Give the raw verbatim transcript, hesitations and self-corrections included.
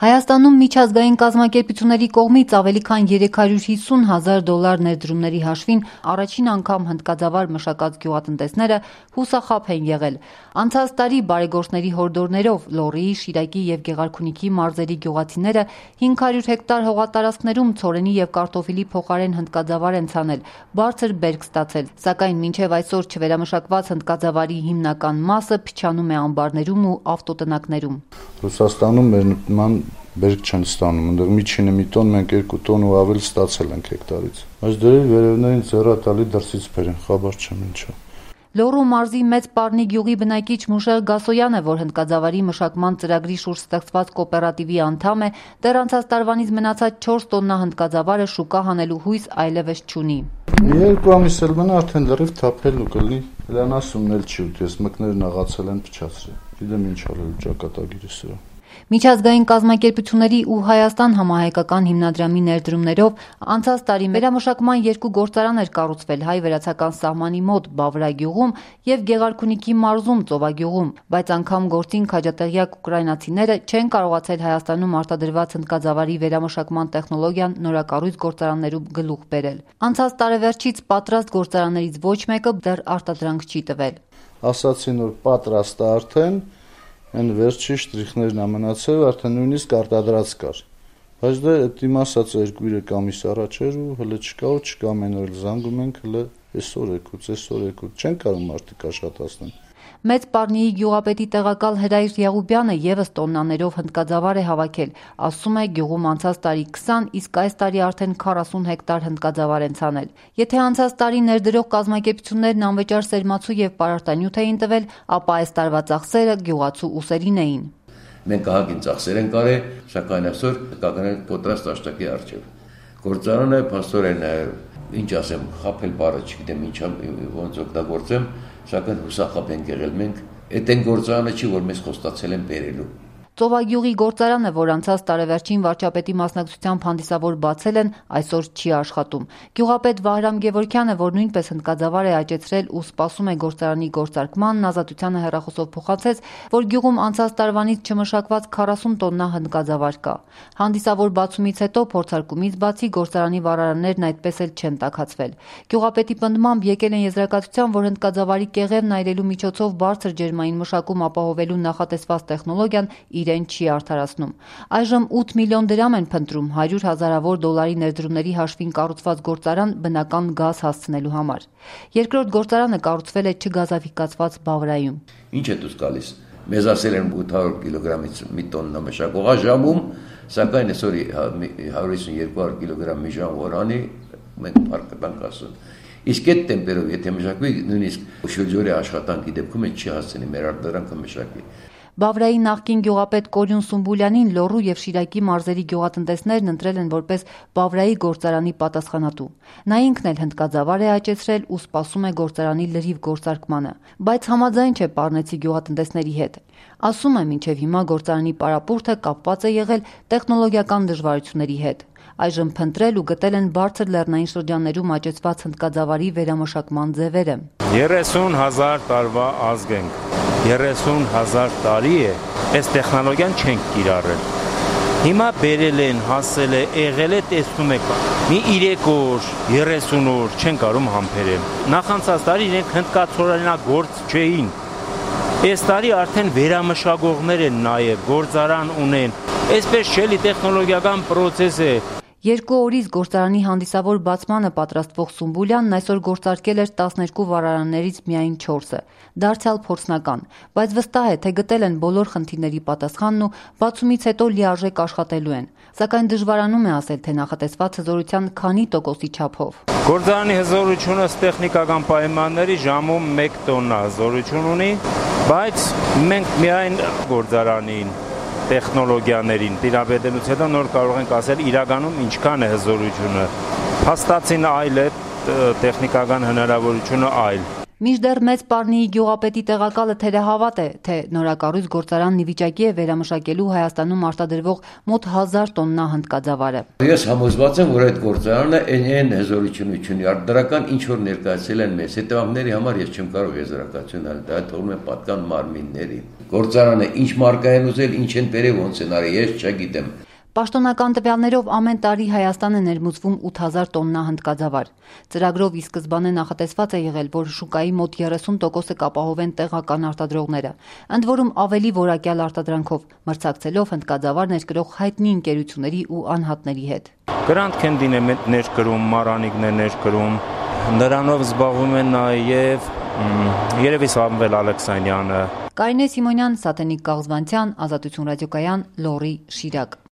Հայաստանում միջազգային կազմակերպությունների կողմից ավելի քան երեք հարյուր հիսուն հազար դոլար ներդրումների հաշվին առաջին անգամ հնդկաձավար մշակած գյուղատնտեսները հուսախաբ են եղել։ Անցած տարի բարեգործների հորդորներով Լոռիի, Շիրակի և Գեղարքունիքի մարզերի գյուղացիները հինգ հարյուր հեկտար հողատարածքներում ցորենի և կարտոֆիլի փոխարեն հնդկաձավար են ցանել, բարձր բերք ստացել, սակայն մինչև այսօր չվերամշակված հնդկաձավարի հիմնական մասը փչանում է ամբարներում ու ավտոտնակներում։ Ռուսաստանում մեր նման բերք չեն ստանում, այնտեղ միջինը մի տոն, մենք երկու տոն ու ավել ստացել ենք հեկտարից։ Այս դերերի վերևներին ձեռատալի դրսից բերեն, խաբար չեմ ինչա։ Լոռու մարզի Մեծ Պառնի գյուղի բնակիչ Մուշեղ Գասոյանը, որ հնդկաձավարի մշակման ծրագրի շուրջ ստեղծված կոոպերատիվի անդամ է, դեռ անցած տարվանից մնացած չորս տոննա հնդկաձավարը շուկա հանելու հույս այլևս չունի։ Երկու ամիս էլ մնա արդեն լրիվ թափելու կլինի, լան ասումն էլ չի ուտի, ես մկներն աղացել են փչացրել, գիտեմ ինչ արել ճակատագիրը սրա։ Միջազգային կազմակերպությունների ու Հայաստան համահայկական հիմնադրամի ներդրումներով անցած տարի վերամշակման երկու գործարան էր կառուցվել հայ-վրացական սահմանի մոտ Բավրա գյուղում և Գեղարքունիքի մարզում Ծովագյուղում, բայց անգամ գործին քաջատեղյակ ուկրաինացիները չեն կարողացել Հայաստանում արտադրված հնդկաձավարի վերամշակման տեխնոլոգիան նորակառույց գործարաններում գլուխ բերել։ Անցած տարեվերջից պատրաստ գործարաններից ոչ մեկը դեռ արտադրանք չի տվել։ Ասացին, որ պատրաստ է արդեն, այն վերջի շտրիխներն ամենացել, արդեն նույնիսկ արտադրած կար, բայց դա իմ ասածը երկու երեք ամիս առաջ էր ու հələ չկա ու չկա, ամեն օր զանգում ենք, հələ այսօր եկուց, այսօր եկուց, չեն կարող մարդիկ աշխատացնել։ Մեծ Պառնիի գյուղապետի տեղակալ Հրայր Եղուբյանը ևս տոննաներով հնդկաձավար է հավաքել, ասում է գյուղում անցած տարի քսան, իսկ այս տարի արդեն քառասուն հեկտար հնդկաձավար են ցանել։ Եթե անցած տարի ներդրող կազմակերպություններն անվճար սերմացու և պարարտանյութ էին տվել, ապա այս տարվա ծախսերը գյուղացու ուսերին էին։ Մենք ահագին ծախսեր են կարել, սակայն այսօր կականել պատրաստ աշտակի առջև։ Գործարանը փաստորեն ինչ ասեմ, խաբել բառը չգիտեմ ինչա ոնց օգտագործեմ, սակայն հուսախաբ ենք եղել մենք, այդ այն գործարանը չի, որ մեզ խոստացել են բերելու։ Ծովագյուղի գործարանը, որ անցած տարեվերջին վարչապետի մասնակցությամբ հանդիսավոր բացել են, այսօր չի աշխատում։ Գյուղապետ Վահրամ Գևորգյանը, որ նույնպես հնդկաձավար է աճեցրել ու սպասում է գործարանի գործարկմանն, Ազատությանը հեռախոսով փոխանցեց, որ գյուղում անցած տարվանից չմշակված քառասուն տոննա հնդկաձավար կա։ Հանդիսավոր բացումից հետո փորձարկումից բացի գործարանի վառարաններն այդպես էլ չեն տաքացվել։ Գյուղապետի պնդմամբ եկել են եզրակացության, որ հնդկաձավարի կեղևն այրելու միջոցով բարձր ջերմային մշակում ապահովելու նախատեսված տեխնոլոգիան իրեն չի արդարացնում։ Այժմ ութ միլիոն դրամ են փնտրում հարյուր հազարավոր դոլարի ներդրումների հաշվին կառուցված գործարան բնական գազ հասցնելու համար։ Երկրորդ գործարանը կառուցվել է չգազաֆիկացված Բավրայում։ Ինչ է դուս գալիս։ Մեզ ասել են ութ հարյուր կիլոգրամից մի տոննա մշակող ժամում, սակայն այսօր հարյուր հիսուն երկու կիլոգրամ մի ժամ որանի մենք փառք տանք ասում։ Իսկ այդ տեմպերով եթե մշակվի նույնիսկ շրջորի աշխատանքի դեպքում չի հասցնի մեր արտադրանքը մշակվի։ Բավրայի նախկին գյուղապետ Կորյուն Սումբուլյանին Լոռու և Շիրակի մարզերի գյուղատնտեսներն ընտրել են որպես Բավրայի գործարանի պատասխանատու։ Նա ինքն էլ հնդկաձավար է աճեցրել ու սպասում է գործարանի լրիվ գործարկմանը, բայց համաձայն չէ պառնեցի գյուղատնտեսների հետ։ Ասում է, մինչև հիմա գործարանի պարապուրդը կապված է եղել տեխնոլոգիական դժվարությունների հետ։ Այժմ փնտրել ու գտել են բարձր լեռնային շրջաններում աճեցված հնդկաձավարի վերամշակման ձևերը։ երեսուն հազար տարվա ազգ ենք, երեսուն հազար տարի է, այս տեխնոլոգիան չենք կիրառել։ Հիմա բերել են, հասել է, եղել է, տեսնում եք, մի երեք օր, երեսուն օր չեն կարող համբերել։ Նախանցած տարի իրենք հնդկացորենագործ չէին։ Այս տարի արդեն վերամշակողներ են նաև, գործարան ունեն։ Այսպես չէ, տեխնոլոգիական պրոցես է։ Երկու օրից գործարանի հանդիսավոր բացմանը պատրաստվող Սումբուլյանն այսօր գործարկել էր տասներկու վառարաններից միայն չորսը, դարձյալ փորձնական, բայց վստահ է, թե գտել են բոլոր խնդիրների պատասխանն ու բացումից հետո լիարժեք աշխատելու են, սակայն դժվարանում է ասել, թե նախատեսված հզորության քանի տոկոսի չափով։ Գործարանի հզորությունը տեխնիկական պայմանների ժամում մեկ տոննա հզորություն ունի, բայց մենք միայն գործարանին տեխնոլոգիաներին տիրապետելուց հետո նոր կարող ենք ասել իրականում ինչքան է հզորությունը։ Փաստացին այլ է, տեխնիկական հնարավորությունը այլ։ Մինչդեռ Մեծ Պարնիի գյուղապետի տեղակալը թերահավատ է, թե նորակառույց գործարանն ի վիճակի է վերամշակելու Հայաստանում արտադրվող մոտ հազար տոննա հնդկաձավարը։ Ես համոզված եմ, որ այդ գործարանը այն հզորություն ունի, արտադրական ինչ որ ներկայացել են մեզ հետևանքների համար ես չեմ կարող եզրակացություն տալ, դա թողնում է պատկան մարմինների։ Գործարանը ինչ մարկա են ուզել, ինչ են բերել, ոնց են արել, ես չգիտեմ։ Պաշտոնական տվյալներով ամեն տարի Հայաստան է ներմուծվում ութ հազար տոննա հնդկաձավար։ Ծրագրով ի սկզբանե նախատեսված է եղել, որ շուկայի մոտ երեսուն տոկոսը կապահովեն տեղական արտադրողները, ընդ որում ավելի որակյալ արտադրանքով, մրցակցելով հնդկաձավար ներկրող հայտնի ընկերությունների ու անհատների հետ։ Գրանտ Քենդին է ներկրում, Մարանիկն է ներկրում, նրանով զբաղվում են նաև երևի Սամվել Ալեքսանյանը։ Կարինե Սիմոնյան, Սաթենիկ Կաղզվանցյան, Ազատություն ռադիոկայան, Լոռի, Շիրակ։